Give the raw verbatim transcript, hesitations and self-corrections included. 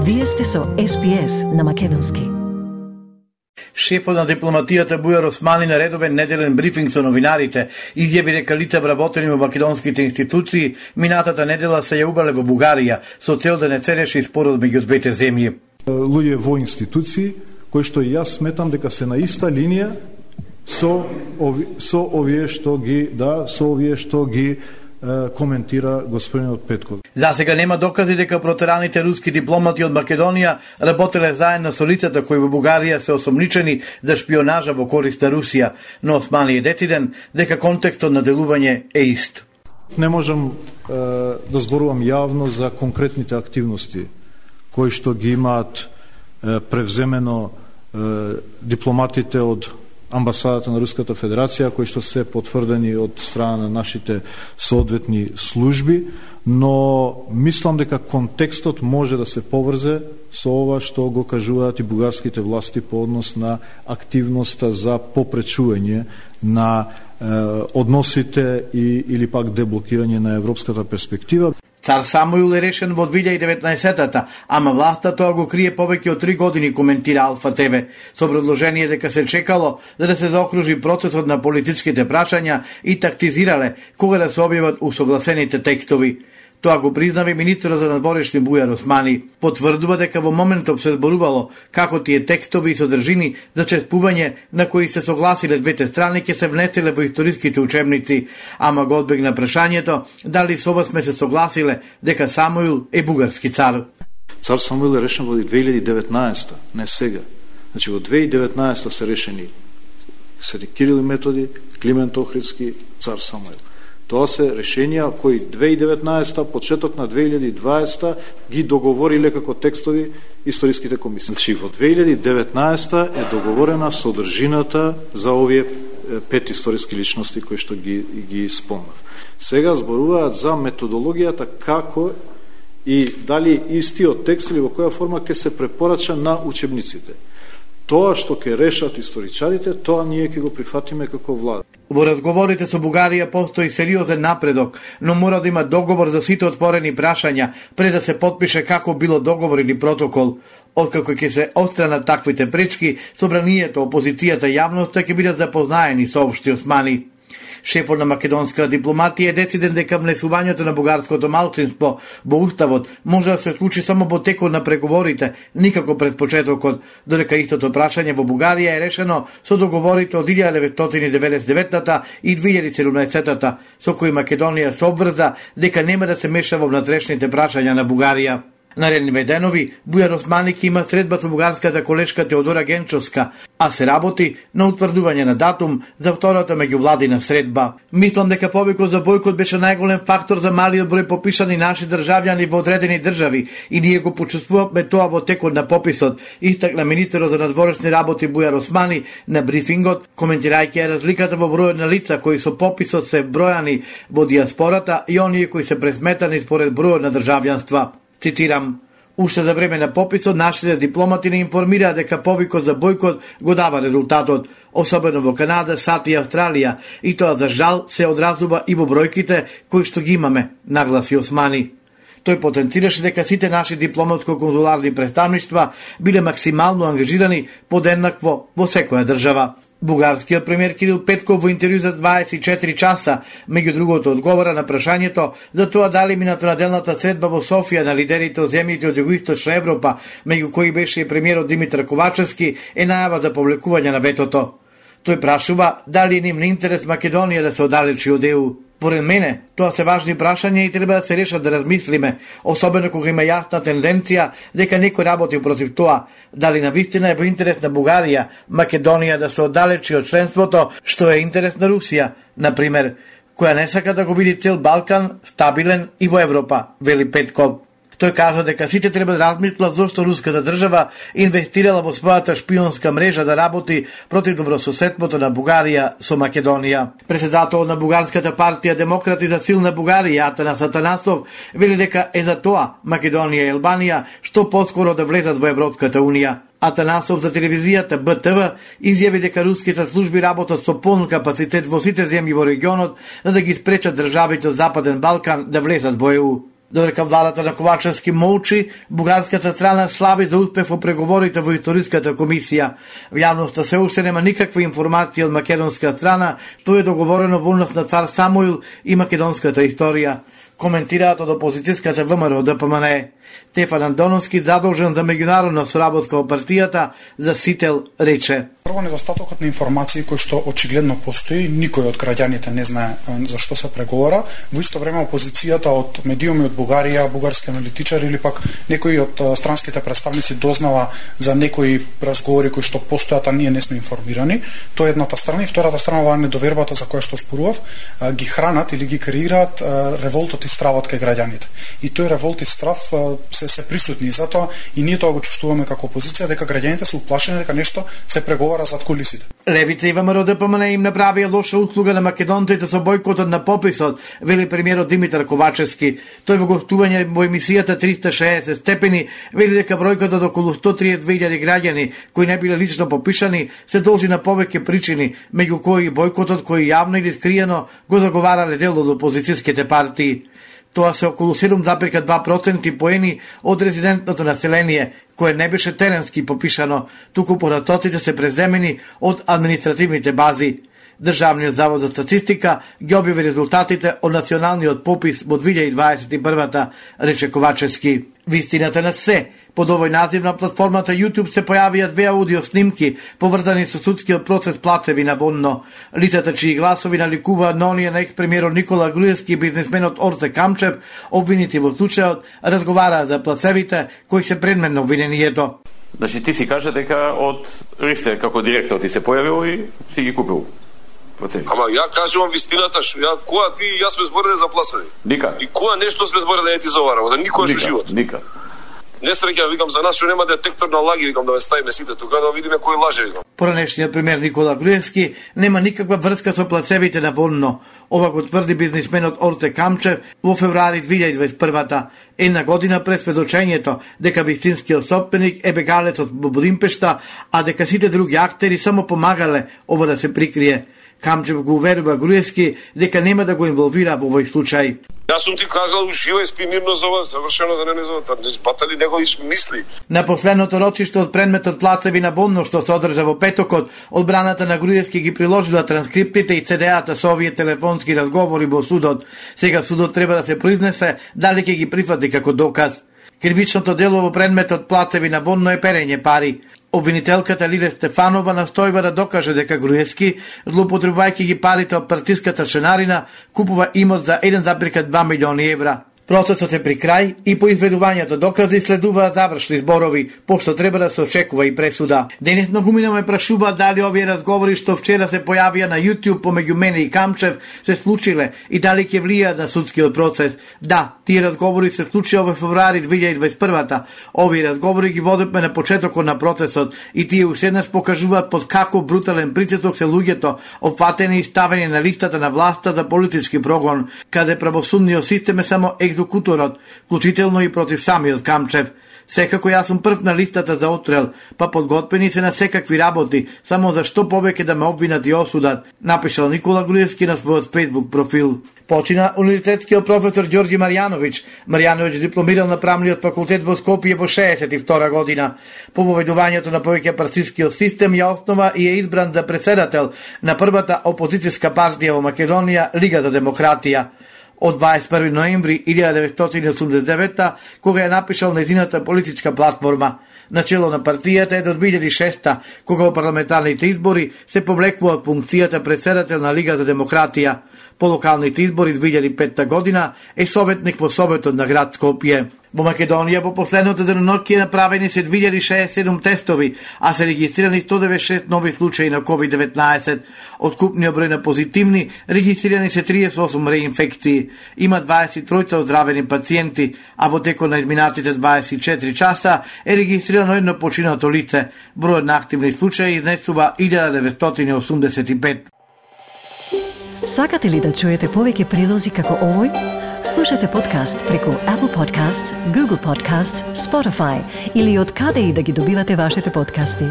Вие сте со Ес Би Ес на македонски. Шефот на дипломатијата Бујар Османи на редовен неделен брифинг со новинарите изјави дека лица вработени во македонските институции минатата недела се ја убрале во Бугарија со цел да не се реши спорот меѓу двете земји. Луѓе во институции кои што и јас сметам дека се на иста линија со ови, со овие што ги да со овие што ги коментира господинот Петков. За сега нема докази дека протераните руски дипломати од Македонија работеле заедно со лицата кои во Бугарија се осомничени за шпионажа во корист на Русија, но Османи е дециден дека контекстот на делување е ист. Не можам е, да зборувам јавно за конкретните активности кои што ги имаат е, превземено е, дипломатите од амбасадата на Руската Федерација, кои што се потврдени од страна на нашите соодветни служби, но мислам дека контекстот може да се поврзе со ова што го кажуваат и бугарските власти по однос на активноста за попречување на е, односите и, или пак деблокирање на европската перспектива. Цар Самуил е решен во две илјади и деветнаесетта, ама власта тоа го крие повеќе од три години, коментира Алфа Те Ве, со образложение дека се чекало за да се заокружи процесот на политичките прашања и тактизирале кога да се објават усогласените текстови. Тоа го признава министерот за надворешни Бујар Османи. Потврдува дека во моментот се зборувало како тие текстови и содржини за чествување на кои се согласиле двете страни ќе се внеселе во историските учебници, ама го одбегна прашањето дали со ова сме се согласиле дека Самуил е бугарски цар. Цар Самуил е решен во две илјади и деветнаесетта, не сега. Значи во две илјади и деветнаесетта се решени Свети Кирил и Методи, Климент Охридски, цар Самуил. Тоа се решенија кои две илјади и деветнаесетта, почеток на две илјади и дваесетта ги договориле како текстови историските комисии. Значи во две илјади и деветнаесетта е договорена содржината за овие пет историски личности кои што ги ги спомнав. Сега зборуваат за методологијата како и дали истиот текст или во која форма ќе се препорача на учебниците. Тоа што ќе решат историчарите, тоа ние ќе го прифатиме како влада. Во разговорите со Бугарија постои сериозен напредок, но мора да има договор за сите отворени прашања пред да се потпише како било договор или протокол. Откако ќе се отстранат таквите пречки, собранието, опозицијата и јавноста ќе бидат запознаени со општи Османи. Шефот на македонска дипломатија е дециден дека внесувањето на бугарското малцинство во уставот може да се случи само во текот на преговорите, никако пред почетокот, додека истото прашање во Бугарија е решено со договорите од илјада деветстотини деветдесет и деветта и две илјади и седумнаесетта, со кои Македонија се обврза дека нема да се меша во внатрешните прашања на Бугарија. Наредниве денови, Бујар Османи ќе има средба со бугарската колешка Теодора Генчовска, а се работи на утврдување на датум за втората меѓувладина средба. Мислам дека повикот за бојкот беше најголем фактор за малиот број попишани наши државјани во одредени држави и ние го почувствувавме тоа во текот на пописот, истакна министерот за надворешни работи Бујар Османи на брифингот, коментирајќи разликата во бројот на лица кои со пописот се бројани во диаспората и оние кои се пресметани според бројот на државјанства. Цитирам: уште за време на пописот нашите дипломати не информираа дека повикот за бојкот го дава резултатот, особено во Канада, САД и Австралија, и тоа за жал се одразува и во бројките кои што ги имаме, нагласи Османи. Тој потенцираше дека сите наши дипломатско-конзуларни представништва биле максимално ангажирани подеднакво во секоја држава. Бугарскиот премиер Кирил Петков во интервју за дваесет и четири часа, меѓу другото, одговора на прашањето за тоа дали минатонаделната средба во Софија на лидерите од земјите од југоисточна Европа, меѓу кои беше и премиерот Димитар Ковачевски, е најава за повлекување на ветото. Тој прашува дали е ним на интерес Македонија да се оддалечи од Е У. Поред мене, тоа се важни прашања и треба да се решат да размислиме, особено кога има јасна тенденција дека некој работи против тоа, дали навистина е во интерес на Бугарија, Македонија да се оддалечи од членството, што е интерес на Русија, например, која не сака да го види цел Балкан стабилен и во Европа, вели Петков. Тој кажа дека сите треба да размислат зошто руската држава инвестирала во својата шпионска мрежа да работи против добрососедството на Бугарија со Македонија. Председател на бугарската партија Демократи за силна Бугарија, Атанас Атанасов, вели дека е за тоа Македонија и Албанија што поскоро да влезат во Европската унија. Атанасов за телевизијата Б Т В изјави дека руските служби работат со полн капацитет во сите земји во регионот за да ги спречат државите од Западен Балкан да влезат во Е У. Додека владата на Ковачевски молчи, бугарската страна слави за успех во преговорите во историската комисија. В јавноста се уште нема никаква информација од македонска страна што е договорено во однос на цар Самуил и македонската историја. Коментираат од опозицијската ВМРО Д П М Н. Стефан Андоновски, задолжен за меѓународна соработка во партијата, за Сител рече: Прво, недостатокот на информации кој што очигледно постои, никој од граѓаните не знае за што се преговара. Во исто време опозицијата од медиуми од Бугарија, бугарски аналитичари или пак некои од странските представници дознава за некои разговори кои што постојат, а ние не сме информирани. Тоа е едната страна, и втората страна, оваа недовербата за која што спорував, ги хранат или ги креираат револтот и стравот кај граѓаните. И тој револт и страв се се присутни, затоа и ние тоа го чувствуваме како опозиција, дека граѓаните се уплашени дека нешто се преговара зад кулисите. Левица и ВМРО Д П М Н им направија лоша услуга на македонците со бојкотот на пописот, вели премиерот Димитар Ковачевски. Тој во гостување во емисијата триста и шеесет степени вели дека бројката од околу сто триесет две илјади граѓани кои не биле лично попишани се должи на повеќе причини, меѓу кои бојкотот кој јавно или скриено го заговарале дел од опозицијските партии. Тоа се околу седум зарез два проценти поени од резидентното население, кое не беше теренски попишано, туку поратоците се преземени од административните бази. Државниот завод за статистика ги објави резултатите од националниот попис во две илјади дваесет и прва, рече Ковачевски. Вистината на се. Под овој назив на платформата YouTube се појавија две аудио снимки поврзани со судскиот процес Плацеви наводно. Лицата чии гласови наликуваат на оние на екс-премиерот Никола Груевски и бизнисменот Орте Камчев, обвинити во случајот, разговараат за плацевите кои се предмет на обвинението. Значи ти си кажа дека од Ристер како директор ти се појавил и си ги купил процеси. Ама ја кажувам вистината, што ја која ти и јас сме збореле за плацеви. Ника. И која нешто сме збореле не ти заварава, да никој во живот. Ника. Несреќа, викам, за нас што нема детектор на лаги, викам, да ве ставиме сите тука, да видиме кој лаже, викам. Поранешниот премиер Никола Груевски нема никаква врска со плацевите на Вонно. Ова го тврди бизнисменот Орте Камчев во февруари две илјади дваесет и прва, една година пред сведочењето дека вистинскиот собственик е бегалецот во Будимпешта, а дека сите други актери само помагале ова да се прикрие. Камчев го уверува Груевски дека нема да го инволвира во овој случај. Јас сум ти кажал, ужива и спи мирно за ова, завршено да не не зоват, не збатали него и мисли. На последното рочиште од предметот Плацеви на Вонно што се одржа во петокот, одбраната на Груевски ги приложила транскриптите и цедеата со овие телефонски разговори во судот. Сега судот треба да се произнесе дали ќе ги прифати како доказ. Кривичното дело во предметот Плацеви на Вонно е перење пари. Обвинителката Лиле Стефанова настојува да докаже дека Груевски, злоупотребувајќи ги парите од партиската шенарина, купува имот за еден зарез два милиони евра. Процесот е при крај и по изведувањето докази следуваат завршни зборови, пошто треба да се очекува и пресуда. Денес многумина ме прашуваат дали овие разговори што вчера се појавија на YouTube помеѓу мене и Камчев се случиле и дали ќе влијаат на судскиот процес. Да, тие разговори се случија во февруари две илјади дваесет и прва. Овие разговори ги водевме на почетокот на процесот и тие уште еднаш покажуваат под каков брутален притисок се луѓето опфатени и ставени на листата на власта за политички прогон, каде правосудниот систем е само екзекуторот, вклучително и против самиот Камчев. Секако јас сум прв на листата за отстрел, па подготвени се на секакви работи, само за што повеќе да ме обвинат и осудат, напишал Никола Груевски на својот Facebook профил. Почина универзитетскиот професор Ѓорѓи Марјановиќ. Марјановиќ дипломирал на правниот факултет во Скопје во шеесет и втора година. По поведувањето на повеќе партискиот систем ја основа и е избран за председател на првата опозицијска партија во Македонија, Лига за демократија. Од дваесет и први ноември илјада деветстотини и осумдесет и девета, кога ја напишал нејзината политичка платформа. Начело на партијата е до две илјади и шеста, кога во парламентарните избори се повлекува од функцијата председател на Лига за демократија. По локалните избори две илјади и петта година е советник во Советот на град Скопје. Во Македонија во последното деноноќие направени се две илјади и шеесет и седум тестови, а се регистрирани сто деветдесет и шест нови случаи на ковид деветнаесет. Од купниот број на позитивни, регистрирани се триесет и осум реинфекции. Има дваесет и три оздравени пациенти, а во текот на изминатите дваесет и четири часа е регистрирано едно починато лице. Бројот на активни случаи изнесува илјада деветстотини и осумдесет и пет. Сакате ли да чуете повеќе прилози како овој? Слушате подкаст преку Apple Podcasts, Google Podcasts, Spotify или од каде и да ги добивате вашите подкасти.